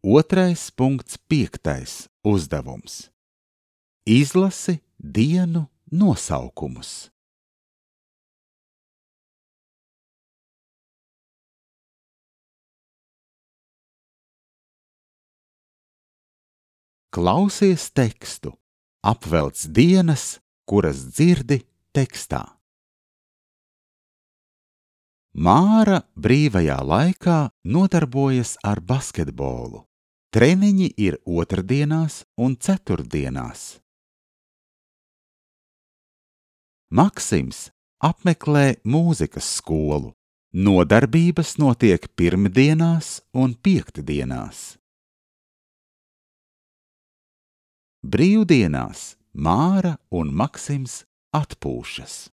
2.5. uzdevums. Izlasi dienu nosaukumus. Klausies tekstu, apvelc dienas, kuras dzirdi tekstā. Māra brīvajā laikā nodarbojas ar basketbolu. Treniņi ir otrdienās un ceturtdienās. Maksims apmeklē mūzikas skolu. Nodarbības notiek pirmdienās un piektdienās. Brīvdienās Māra un Maksims atpūšas.